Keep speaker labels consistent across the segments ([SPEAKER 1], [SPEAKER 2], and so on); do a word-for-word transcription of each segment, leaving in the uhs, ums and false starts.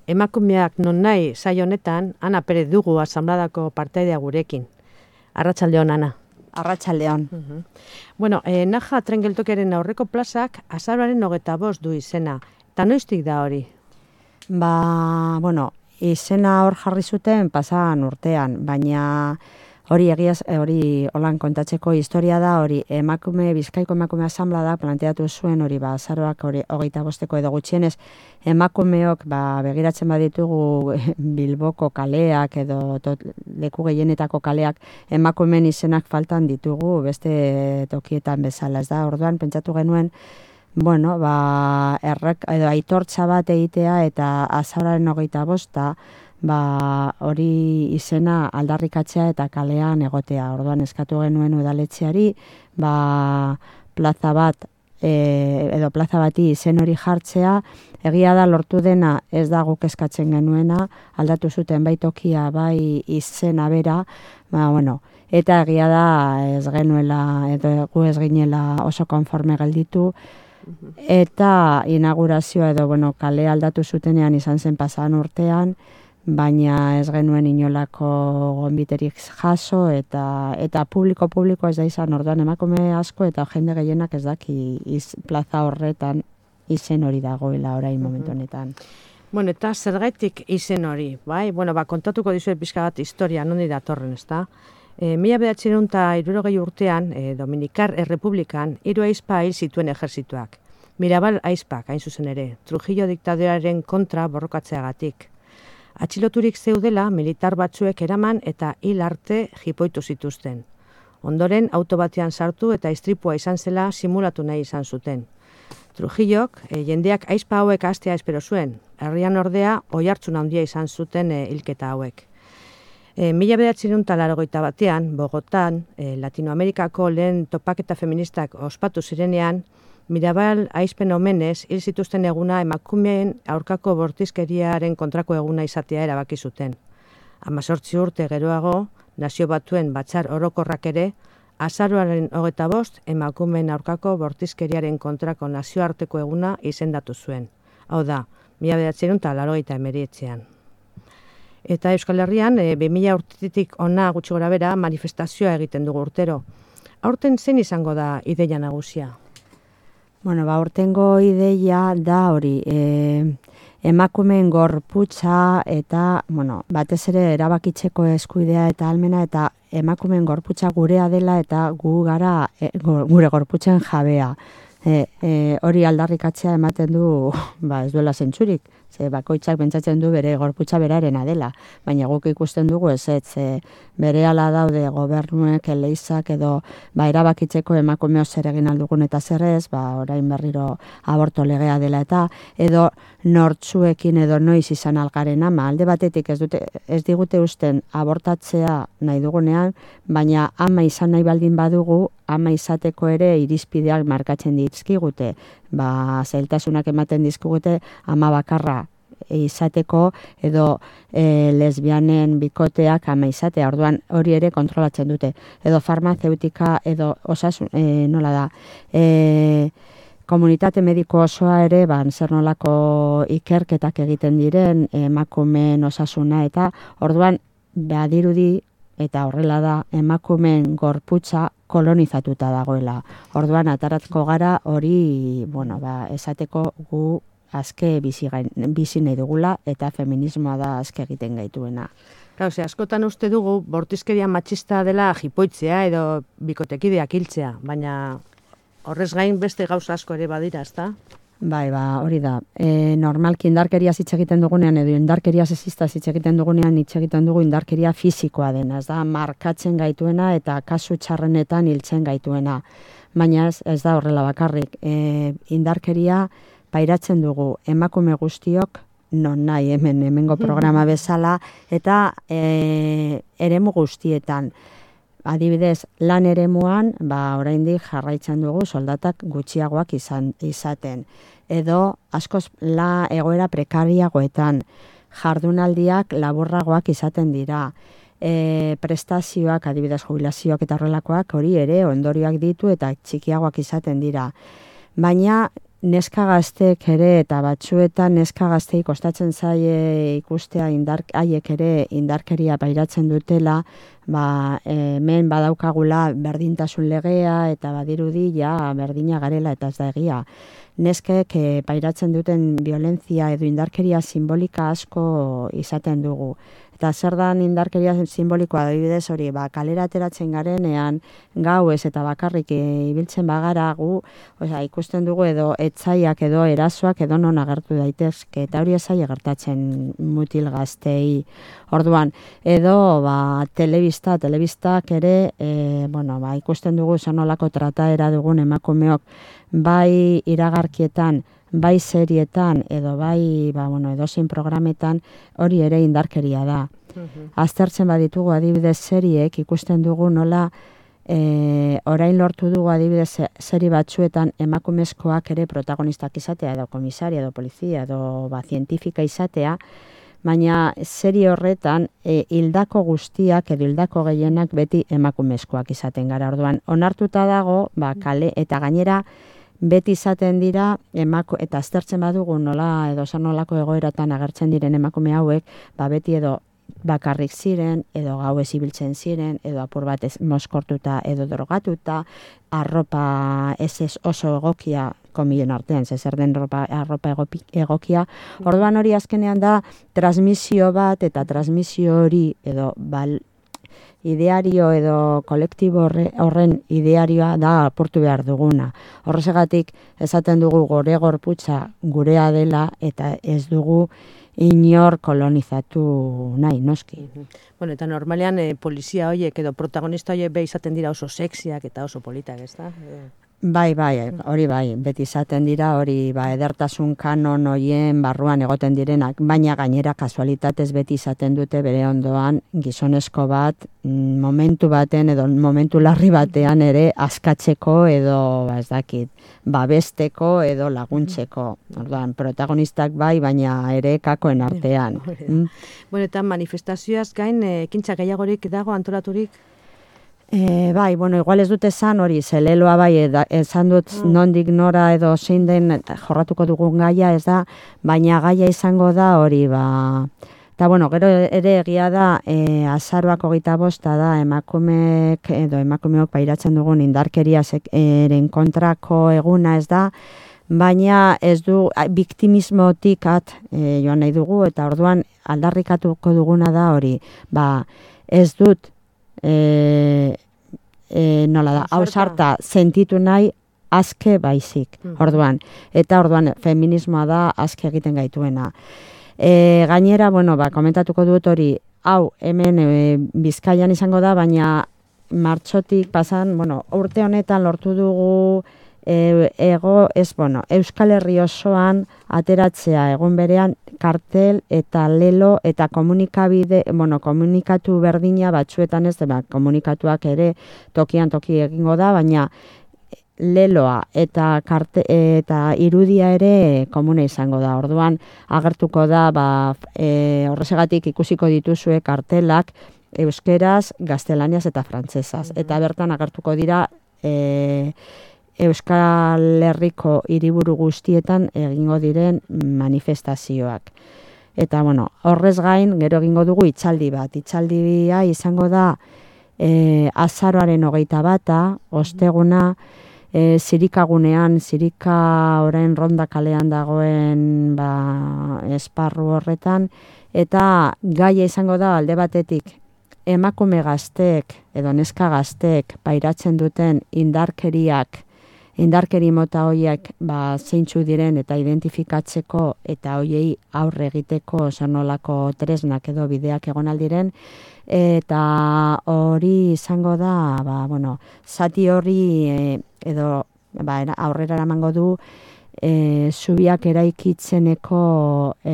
[SPEAKER 1] emakumeak non nahi saio honetan, Ana Perez dugu asanbladako partaidea gurekin. Arratsaldeon, Ana.
[SPEAKER 2] Arratsaldeon.
[SPEAKER 1] Uh-huh. Bueno, eh, Naja tren geltokiaren aurreko plazak azaroaren hogeita bost du izena. Eta noiztik da hori?
[SPEAKER 2] Ba, bueno, izena hor jarri zuten pasan urtean, baina hori egiaz, hori holan kontatzeko historia da, hori emakume, Bizkaiko emakume asanblada planteatu zuen hori ba, azaroak hori hogeita bosteko edo gutxienez, emakumeok ba, begiratzen baditugu Bilboko kaleak edo tot, leku gehienetako kaleak emakumeen izenak faltan ditugu beste tokietan bezala, ez da, orduan pentsatu genuen, bueno, ba, errek, edo aitortza bat egitea eta azaroaren hogeita bosta, ba, hori izena aldarrikatzea eta kalean egotea. Orduan eskatu genuen udaletxeari, ba, plaza bat, e, edo plaza bati izen hori jartzea, egia da lortu dena ez da guk eskatzen genuena, aldatu zuten bai tokia, bai izena bera, ba, bueno, eta egia da ez genuela, edo gu ez ginela oso konforme gelditu, eta inaugurazioa edo, bueno, kale aldatu zutenean izan zen pasan urtean, baina ez genuen inolako gonbiterik jaso eta eta publiko publiko ez da izan, orduan emakume asko eta jende gehienak ez daki iz, plaza horretan izen hori dagoela orain momentu honetan.
[SPEAKER 1] Bueno, eta zergaitik izen hori, bai? Bueno, ba, kontatuko dizuet pixka bat historia, nondi datorren, ezta? E, mila bederatziehun eta hirurogei urtean, e, Dominikar Errepublikan, hiru aizpa hil zituen ejerzituak. Mirabal aizpak, hain zuzen ere, Trujillo diktadorearen kontra borrokatzeagatik. Atxiloturik zeudela militar batzuek eraman eta hil arte jipoitu zituzten. Ondoren auto batean sartu eta istripua izan zela simulatu nahi izan zuten. Trujillok e, jendeak aizpa hauek hastea espero zuen, herrian ordea oihartzun handia izan zuten e, hilketa hauek. E, mila bederatziehun eta laurogeita batean, Bogotan, e, Latinoamerikako lehen topaketa feministak ospatu zirenean, Mirabal aizpen omenez hil zituzten eguna emakumeen aurkako bortizkeriaren kontrako eguna izatea erabaki zuten. Hamazortzi urte geroago, Nazio Batuen Batzar Orokorrak ere, azaroaren hogeita bost emakumeen aurkako bortizkeriaren kontrako nazioarteko eguna izendatu zuen. Hau da, mila bederatziehun eta laurogeita hemeretzian. Eta Euskal Herrian, e, bi mila urtetik hona gutxi gorabehera manifestazioa egiten dugu urtero. Aurten zein izango da ideia nagusia?
[SPEAKER 2] Bueno, ba, urtengo ideia da hori, e, emakumeen gorputza eta, bueno, batez ere erabakitzeko eskubidea eta ahalmena eta emakumeen gorputza gurea dela eta gu gara e, gure gorputzen jabea. E, e, hori aldarrikatzea ematen du, ba, ez duela zentzurik, ze bakoitzak pentsatzen du bere gorputza berarena dela, baina guk ikusten dugu ez ez, e, berehala daude gobernuek, eleizak edo ba, erabakitzeko emakumeo zer egin aldugun eta zer ez, ba, orain berriro aborto legea dela eta edo nortzuekin edo noiz izan algaren ama, alde batetik ez, dute, ez digute usten abortatzea nahi dugunean, baina ama izan nahi baldin badugu, ama izateko ere irizpideak markatzen dizkigute, ba, zailtasunak ematen dizkigute ama bakarra izateko edo e, lesbianen bikoteak ama izatea, orduan hori ere kontrolatzen dute, edo farmazeutika edo osasun, e, nola da, e, komunitate mediko osoa ere, ban, zer nolako ikerketak egiten diren, emakumeen osasuna eta orduan badirudi eta horrela da emakumeen gorputza kolonizatuta dagoela. Orduan ataratko gara hori, bueno, ba, esateko gu azke bizi, gain, bizi nahi dugula eta feminismoa da azke egiten gaituena.
[SPEAKER 1] Claro, ze, askotan uste dugu bortizkeria matxista dela jipoitzea edo bikotekideak hiltzea, baina horrez gain beste gauza asko ere badira, ezta?
[SPEAKER 2] Bai, ba, hori da. E, normalki indarkeria hitz egiten dugunean edo indarkeria sexista hitz egiten dugunean hitz egiten dugu indarkeria fisikoa dena, ez da markatzen gaituena eta kasu txarrenetan hiltzen gaituena. Baina ez, ez da horrela bakarrik. E, indarkeria pairatzen dugu emakume guztiok non nahi hemen hemengo programa bezala eta e, eremu guztietan. Adibidez, lan eremuan, ba, oraindik jarraitzen dugu soldatak gutxiagoak izan, izaten. Edo, askoz la egoera prekariagoetan, jardunaldiak laburragoak izaten dira. E, prestazioak, adibidez jubilazioak eta horrelakoak hori ere ondorioak ditu eta txikiagoak izaten dira. Baina neska gazteek ere eta batzuetan neska gaztei kostatzen zaie ikustea indark, haiek ere indarkeria pairatzen dutela, ba, hemen badaukagula berdintasun legea eta badirudi ja berdina garela eta ez da egia. Neskek e, pairatzen duten violentzia edo indarkeria simbolika asko izaten dugu. Eta zer dan indarkeria simbolikoa adibidez hori, ba, kalera ateratzen garenean gauez eta bakarrik e, ibiltzen bagara gu, osea, ikusten dugu edo etzaiak edo erasoak edo non agertu daitezke, eta hori ezai gertatzen mutil gaztei. Orduan, edo ba, telebista, telebistak ere, e, bueno, ba, ikusten dugu zonolako trataera dugun emakumeok, bai iragarkietan, bai serietan edo bai ba, bueno, edozein programetan hori ere indarkeria da. Uh-huh. Aztertzen baditugu adibidez seriek ikusten dugu nola e, orain lortu dugu adibidez seri batzuetan emakumezkoak ere protagonistak izatea edo komisaria edo polizia edo ba, zientifika izatea, baina seri horretan e, hildako guztiak edo hildako gehienak beti emakumezkoak izaten gara. Orduan onartuta dago ba, kale eta gainera beti izaten dira emako, eta aztertzen badugu nola edo zanolako egoeratan agertzen diren emakume hauek, ba beti edo bakarrik ziren, edo gauez ibiltzen ziren, edo apur bat ez moskortuta edo drogatuta, arropa ez ez oso egokia, komilen artean, zer den arropa, arropa egokia. Orduan hori azkenean da transmisio bat, eta transmisio hori edo bal, ideario edo kolektibo horren idearioa da apurtu behar duguna. Horregatik esaten dugu gore gorputza gurea dela eta ez dugu inor kolonizatu nahi, noski.
[SPEAKER 1] Bueno, eta normalean eh, polizia horiek edo protagonista horiek be izaten dira oso sexiak eta oso politak, ez da?
[SPEAKER 2] Bai, bai, hori bai, beti izaten dira, hori ba, edertasun kanon hoien barruan egoten direnak, baina gainera kasualitatez beti izaten dute bere ondoan gizonezko bat, momentu baten edo momentu larri batean ere askatzeko edo, ba, ez dakit, babesteko edo laguntzeko. Orduan, protagonistak bai, baina ere kakoen artean.
[SPEAKER 1] Mm? Bueno, eta manifestazioaz gain, ekintza gehiagorik dago antolaturik?
[SPEAKER 2] E, bai, bueno, igual ez dute esan hori, zeleloa bai, esan dut mm. nondik nora edo zein den jorratuko dugun gaia, ez da, baina gaia izango da hori, ba, eta bueno, gero ere egia da, e, azaroak hogeita bosta da, emakumeek edo emakumeok pairatzen dugun indarkeria eren kontrako eguna, ez da, baina ez du, biktimismotik at e, joan nahi dugu, eta orduan aldarrikatuko duguna da hori, ba, ez dut, E, e, nola da, hausarta sentitu nahi azke baizik, orduan. Eta orduan, feminismoa da azke egiten gaituena. E, gainera, bueno, ba, komentatuko dut hori, hau, hemen e, Bizkaian izango da, baina martxotik pasan, bueno, urte honetan lortu dugu e, ego, ez, bueno, Euskal Herri osoan ateratzea egun berean kartel eta lelo eta komunikabide, bueno, komunikatu berdina batzuetan ez, ba, komunikatuak ere tokian toki egingo da, baina leloa eta karte, eta irudia ere komune izango da. Orduan agertuko da, ba, e, horrezegatik ikusiko dituzue kartelak euskeraz, gaztelaniaz eta frantsesaz. Mm-hmm. Eta bertan agertuko dira e, Euskal Herriko hiriburu guztietan egingo diren manifestazioak. Eta, bueno, horrez gain, gero egingo dugu itzaldi bat. Itzaldia izango da e, azaroaren hogeita bata, osteguna, e, zirikagunean, zirika orain ronda kalean dagoen ba, esparru horretan, eta gaia izango da alde batetik, emakume gazteek edo neska gazteek pairatzen duten indarkeriak, indarkeri mota horiek ba, zeintzu diren eta identifikatzeko eta hoiei aurre egiteko zonolako tresnak edo bideak egon aldiren, eta hori izango da, ba, bueno, zati hori e, edo ba, aurrera eramango du e, zubiak eraikitzeneko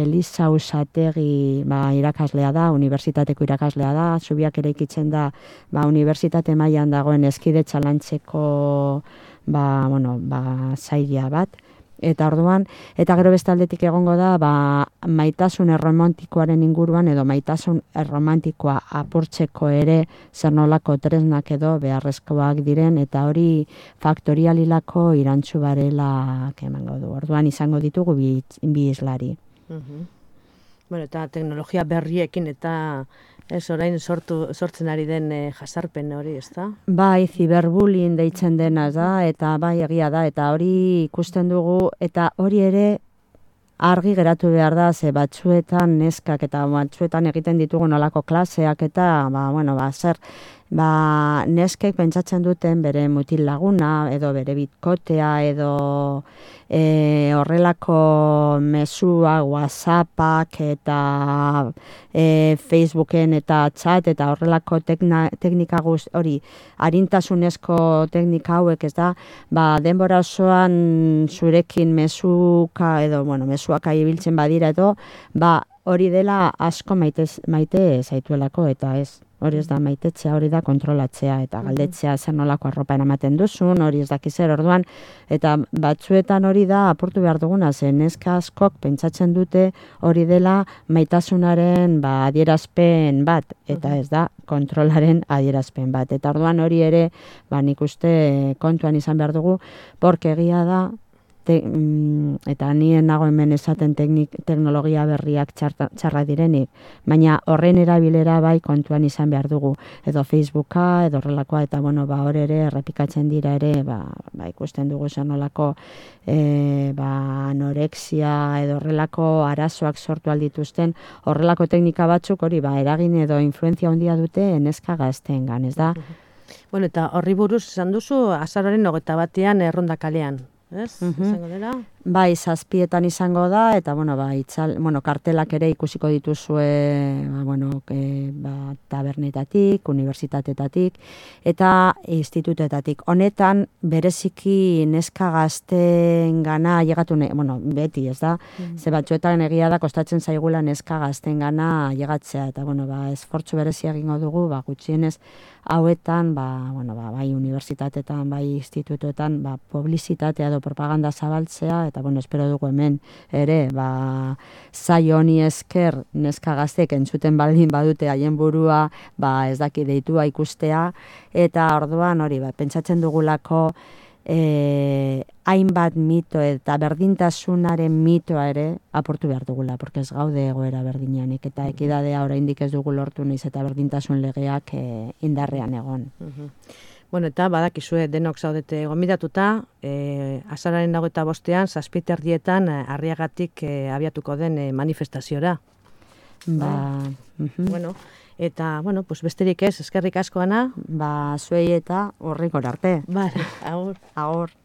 [SPEAKER 2] Eliza Usategi ba, irakaslea da, unibertsitateko irakaslea da, zubiak eraikitzen da ba, unibertsitate mailan dagoen eskidetza lantzeko ba, bueno, ba, zaila bat, Eta orduan, eta gero beste aldetik egongo da, ba, maitasun erromantikoaren inguruan edo maitasun erromantikoa apurtzeko ere zer nolako tresnak edo beharrezkoak diren, eta hori faktorialilako irantzu barela emango du. Orduan izango ditugu bi, bi islari.
[SPEAKER 1] Uh-huh. Bueno, eta teknologia berriekin eta ez orain sortu, sortzen ari den e, jasarpen hori, ez da?
[SPEAKER 2] Bai, ziberbullying deitzen dena da, eta bai egia da, eta hori ikusten dugu, eta hori ere argi geratu behar da, ze batzuetan neskak eta batzuetan egiten ditugu nolako klaseak eta, ba, bueno, ba, zer, ba, neskek pentsatzen duten bere mutil laguna, edo bere bitkotea, edo e, horrelako mesua, whatsappak eta e, Facebooken eta chat eta horrelako tekna, teknika guz, hori, arintasunezko teknika hauek, ez da, ba, denbora osoan zurekin mesuka edo, bueno, mesuak ibiltzen badira edo, ba, hori dela asko maite, maite zaituelako eta ez. Hori ez da maitetzea, hori da kontrolatzea eta galdetzea zer nolako arropa eramaten duzun, hori ez dakiz zer orduan, eta batzuetan hori da apurtu behar duguna, zen neska askok pentsatzen dute hori dela maitasunaren ba, adierazpen bat, eta ez da kontrolaren adierazpen bat. Eta orduan hori ere, ba, nik uste kontuan izan behar dugu, porque egia da, Te, mm, eta nien nago hemen esaten teknik, teknologia berriak txarta, txarra direnik, baina horren erabilera bai kontuan izan behar dugu, edo Facebooka, edo horrelakoa, eta bueno, ba, hor ere errepikatzen dira ere, ba, ba ikusten dugu zen nolako e, ba, anorexia, edo horrelako arazoak sortu aldituzten, horrelako teknika batzuk hori, ba, eragin edo influenzia handia dute neska gazteengan, ez da?
[SPEAKER 1] Bueno, eta horri buruz esan duzu, azaroaren hogeita batean erronda kalean. Ez? Uh-huh. Izango dela?
[SPEAKER 2] Bai, zazpietan izango da, eta bueno, ba, itzal, bueno, kartelak ere ikusiko dituzue ba, bueno, e, ba, tabernetatik, unibertsitatetatik, eta institutetatik. Honetan, bereziki neska gazten gana, llegatu, ne, bueno, beti, ez da? Mm. Ze batzuetan egia da, kostatzen zaigula neska gazten gana llegatzea, eta bueno, ba, esfortzu berezia egingo dugu, ba, gutxienez, hauetan, ba, bueno, ba, bai unibertsitatetan, bai institutuetan, ba, publizitatea edo propaganda zabaltzea, eta bueno, espero dugu hemen ere, ba, zai honi esker neska gaztek entzuten baldin badute haien burua, ba, ez daki deitua ikustea, eta orduan hori, ba, pentsatzen dugulako e, hainbat mito eta berdintasunaren mitoa ere aportu behar dugula, porque ez gaude egoera berdinanik, eta ekidadea oraindik ez dugu lortu naiz eta berdintasun legeak e, indarrean egon.
[SPEAKER 1] Uh-huh. Bueno, eta badakizue denok zaudete gonbidatuta, e, azararen hogeita bostean, zazpite erdietan, Arriagatik e, abiatuko den e, manifestaziora.
[SPEAKER 2] Ba,
[SPEAKER 1] uh-huh. Bueno, eta, bueno, pues besterik ez, eskerrik asko, Ana.
[SPEAKER 2] Ba, zuei eta horrikor arte.
[SPEAKER 1] Vale, agur.
[SPEAKER 2] Agur.